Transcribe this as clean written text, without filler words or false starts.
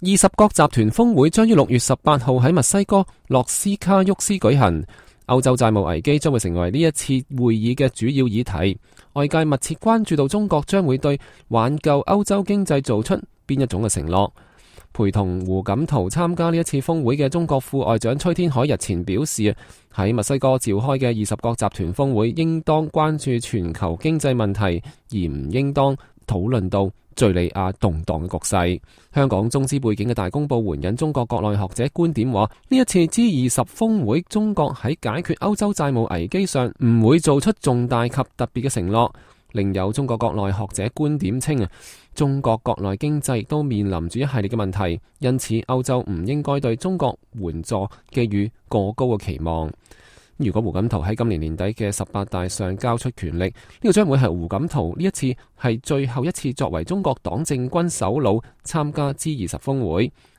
20國集團峰會將於6月18號喺墨西哥洛斯卡沃斯舉行。歐洲債務危機將會成為呢一次會議嘅主要議題。外界密切關注到中國將會對挽救歐洲經濟做出邊一種嘅承諾。陪同胡錦濤參加呢一次峰會嘅中國副外長崔天凱日前表示，喺墨西哥召開嘅20國集團峰會應當關注全球經濟問題，而唔應當討論到敘利亞動盪嘅局勢。香港中資背景嘅大公報援引中國國內學者觀點話，呢一次 G20 峰會，中國喺解決歐洲債務危機上唔會做出重大及特別嘅承諾。另有中國國內學者觀點稱，中國國內經濟亦都面臨住一系列嘅問題，因此歐洲唔應該對中國援助寄予過高嘅期望。如果胡錦濤喺今年年底嘅18大上交出權力，呢個將會係胡錦濤呢一次係最後一次作為中國黨政軍首腦參加 G20 峰會。